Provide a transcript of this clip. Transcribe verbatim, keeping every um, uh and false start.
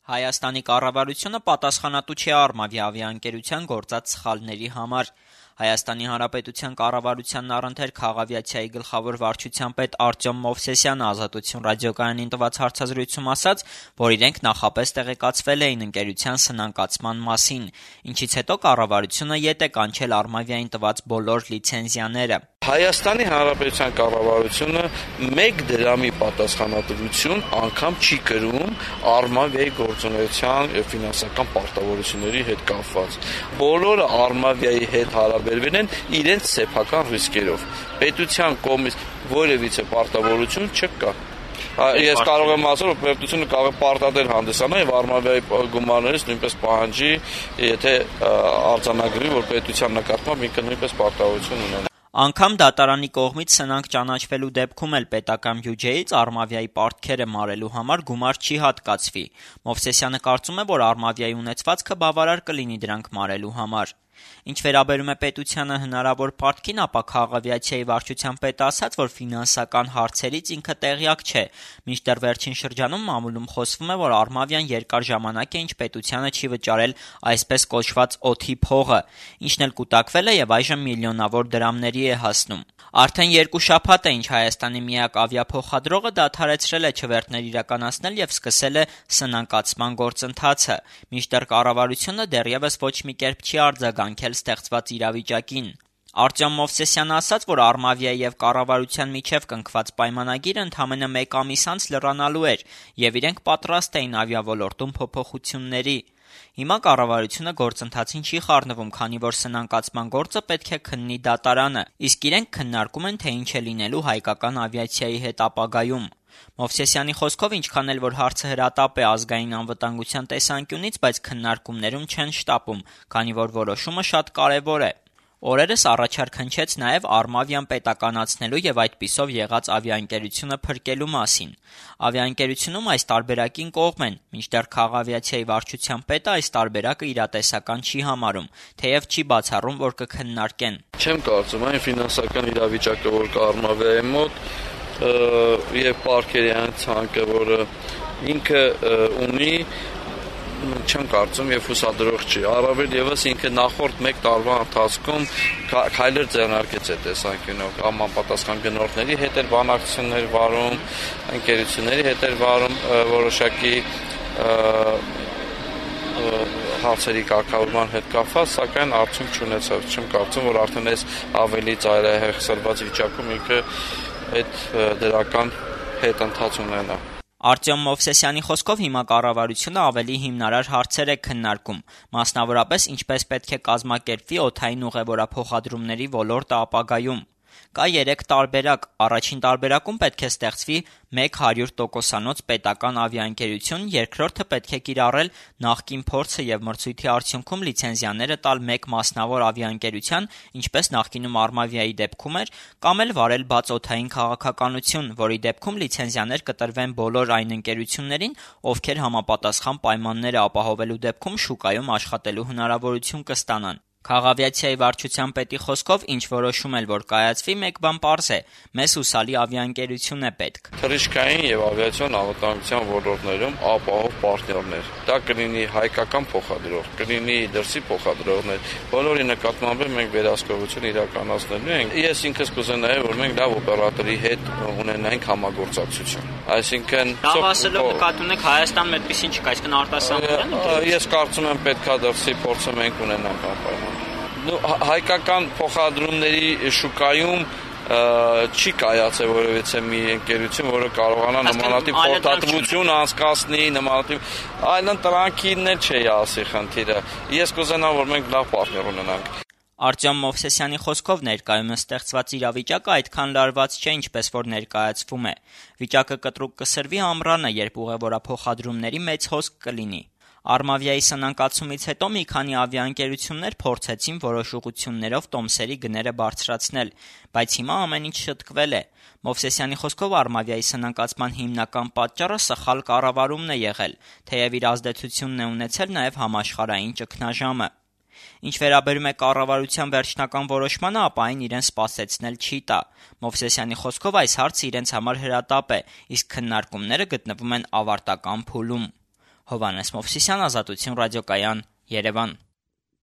Հայաստանի կառավարությունը պատասխանատու չէ Արմավի ավիաընկերության գործած սխալների համար։ Հայաստանի Հանրապետության կառավարությանն առընթեր քաղավիացիայի գլխավոր վարչության պետ Արտյոմ Մովսեսյանը Ազատություն ռադիոկայանին տված հարցազրույցում ասաց, որ իրենք նախապես տեղեկացվել էին ընկերության սնանկացման մասին, ինչից հետո կառավարությունը ետ է կանչել Արմավիային տված բոլոր լիցենզիաները։ Հայաստանի Հանրապետության կառավարությունը մեկ դրամի պատասխանատվություն անգամ չի կրում Արմավիայի գործունեության եւ ֆինանսական պարտավորությունների հետ կապված։ Բոլորը Արմավիայի հետ հարաբերվել են իրենց սեփական ռիսկերով։ Պետության կողմից որևիցե պարտավորություն չկա։ Ես կարող եմ ասել, որ պետությունը կարող է պարտադեր հանդիսանալ եւ Արմավիայի գումարներից նույնպես պահանջի, եթե արձանագրի, որ պետության նկատմամբ ինքը նույնպես պարտավորություն ունենա։ Անգամ դատարանի կողմից սնանկ ճանաչվելու դեպքում էլ պետական բյուջեից Արմավիայի պարտքերը մարելու համար գումար չի հատկացվի։ Մովսեսյանը կարծում է, որ Արմավիայի ունեցվածքը բավարար կլինի դրանք մարելու համար։ Ինչ վերաբերում է պետությանը հնարավոր պարտքին, ապա քաղավիացիայի վարչության պետը ասաց, որ ֆինանսական հարցերից ինքը տեղյակ չէ, մինչդեռ վերջին շրջանում մամուլում խոսվում է, որ Արմավիան երկար ժամանակ է, ինչ պետությանը չի վճարել այսպես կոչված օդի փողը, ինչն էլ կուտակվել է եւ այժմ միլիոնավոր դրամների է հասնում։ Արդեն երկու շաբաթ է, ինչ Հայաստանի միակ ավիափոխադրողը դադարեցրել է չվերթներ իրականացնել եւ սկսել է սնանկացման գործընթացը, մինչդեռ կառավարությունը դեռևս ոչ մի կերպ չի արձագանքել ստեղծված իրավիճակին։ Արտյոմ Մովսեսյանը ասաց, որ Արմավիայի եւ կառավարության միջև կնքված պայմանագիրը ընդամենը մեկ ամիս անց լրանալու էր եւ իրենք պատրաստ էին ավիաոլորտում փոփոխությունների։ Հիմա կառավարությունը գործընթացին չի խառնվում, քանի որ սնանկացման գործը պետք է քննի դատարանը, իսկ իրենք քննարկում են, թե ինչ է լինելու հայկական ավիացիայի հետ ապագայում։ Մովսեսյանի խոսքով, ինչքան էլ որ հարցը հրատապ է ազգային անվտանգության տեսանկյունից, բայց քննարկումներում չեն շտապում, քանի որ որոշումը շատ կարևոր է։ Օրերս առաջարկ հնչեց նաև Արմավիան պետականացնելու եւ այդպիսով եղած ավիաընկերությունը փրկելու մասին։ Ավիաընկերությունում այս տարբերակին կողմ են, մինչդեռ քաղավիացիայի վարչության պետը այս տարբերակը իրատեսական չի համարում, թեև չի բացառում, որ կքննարկեն։ Չեմ կարծում, այն ֆինանսական իրավիճակը, որ կա Արմավիայի մոտ, եւ պարքերի այն ցանկը, որը ինքը ունի, չեմ կարծում եւ հուսադրող չի։ Առավել եւս ինքը նախորդ մեկ տարվա ընթացքում քայլեր ձեռնարկեց այդ տեսանկյունով, համապատասխան գնորդների հետ էր բանակցություններ վարում, ընկերությունների հետ էր վարում որոշակի հարցերի կարգավորման հետ կապված, սակայն արդյունք չունեցավ։ Չեմ կարծում, որ արդեն այս ավելի ծայրահեղսրված վիճակում ինքը այդ դրական հետընթաց ունենա։ Արտյոմ Մովսեսյանի խոսքով հիմա կառավարությունը ավելի հիմնարար հարցեր է քննարկում, մասնավորապես ինչպես պետք է կազմակերպվի օդային ուղևորափոխադրումների ոլորտը ապագայում։ Կա երեք տարբերակ։ Առաջին տարբերակում պետք է ստեղծվի մեկ հարյուր տոկոսանոց պետական ավիաընկերություն, երկրորդը պետք է կիրառել նախկին փորձը եւ մրցույթի արդյունքում լիցենզիաները տալ մեկ մասնավոր ավիաընկերության, ինչպես նախկինում Արմավիայի դեպքում էր, կամ էլ վարել բաց օդային քաղաքականություն, որի դեպքում լիցենզիաներ կտրվեն բոլոր այն ընկերություններին, ովքեր համապատասխան պայմանները ապահովելու դեպքում շուկայում աշխատելու հնարավորություն կստանան։ Քաղավիացիայի վարչության պետի խոսքով, ինչ որոշում էլ որ կայացվի, մեկ բան պարզ է՝ մեզ հուսալի ավիաընկերություն է պետք։ Թռիչքային եւ ավիացիոն անվտանգության ոլորտներում ապահով պարտներներ։ Դա կլինի հայկական փոխադրող, կլինի դրսի փոխադրողներ։ Բոլորի նկատմամբ մենք վերահսկողություն իրականացնելու ենք։ Ես ինքս կուզենայի, որ մենք լավ օպերատորի հետ ունենայինք համագործակցություն։ Այսինքն, լավ ասելով նկատի ունեք Հայաստանում այդպեսին չկա, այսինքն արտասահմանյան։ Ես կարծում եմ պետքա դրսի փորձը մենք ունենանք ապայման։ Հայկական փոխադրումների շուկայում չի կայացել որևիցե մի ընկերություն, որը կարողանա նմանատիպ փոխադրություն անցկացնի, նմանատիպ այլն տրանկինն էլ չի ասի խնդիրը։ Ես կուզենամ, որ մենք լավ պարտներ ունենանք։ Արտյոմ Մովսեսյանի խոսքով ներկայումս ստեղծված իրավիճակը այդքան լարված չէ, ինչպես որ ներկայացվում է։ Վիճակը կտրուկ կսրվի ամռանը, երբ ուղևորափոխադրումների մեծ հոսք կլինի։ Արմավիայի սնանկացումից հետո մի քանի ավիաընկերություններ փորձեցին որոշ ուղղություններով տոմսերի գները բարձրացնել, բայց հիմա ամեն ինչ շտկվել է։ Մովսեսյանի խոսքով Արմավիայի սնանկացման հիմնական պատճառը սխալ կառավարումն է եղել, թեև իր ազդեցությունն է ունեցել նաև համաշխարհային ճգնաժամը։ Ինչ վերաբերում է կառավարության վերջնական որոշմանը, ապա այն իրեն սպասեցնել չի տա։ Մովսեսյանի խոսքով այս հարցը իրենց համար հրատապ է, իսկ քննարկումները գտնվում են ավարտական փուլում։ Հովհաննես Մովսիսյան, Ազատություն ռադիոկայան, Երևան։